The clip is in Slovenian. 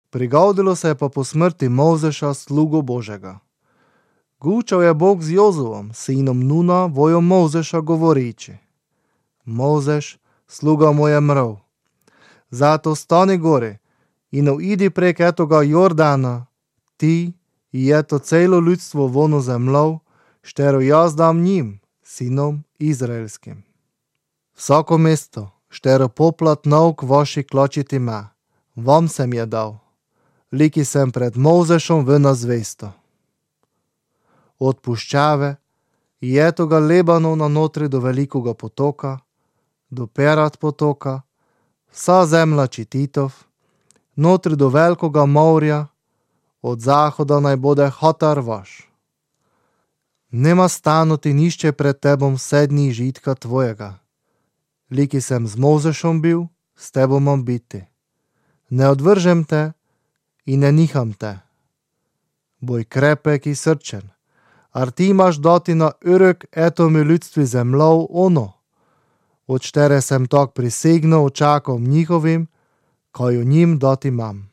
Prigodilo se je pa po smrti Mojzeša, slugo Božega. Gučal je Bog z Jozuom, sinom Nuna, vojo Mojzeša, govoriči: Mojzeš, sluga moj je mrl. Zato stani gori in uidi prek etoga Jordana, ti i eto celo ljudstvo vonu zemlov, štero jaz dam njim, sinom izraelskim. Vsako mesto, štero poplat nauk vaši klačiti me, vam sem je dal, liki sem pred Mojzešom v nazvesto. Od puščave i etoga Lebanona notri do velikoga potoka, do Perat potoka, vsa zemlja Čititov, notri do velikoga morja, od zahoda naj bode Hatar vaš. Nema stanuti nišče pred tebom 7 dni žitka tvojega. Liki sem z Mojzešom bil, s tebom mam biti. Ne odvržem te i ne niham te. Boj krepek i srčen, ar ti imaš dati na ürek etomi ljudstvi zemlov ono, od štere sem tak prisegno očakom njihovim, kaj o njim dati mam.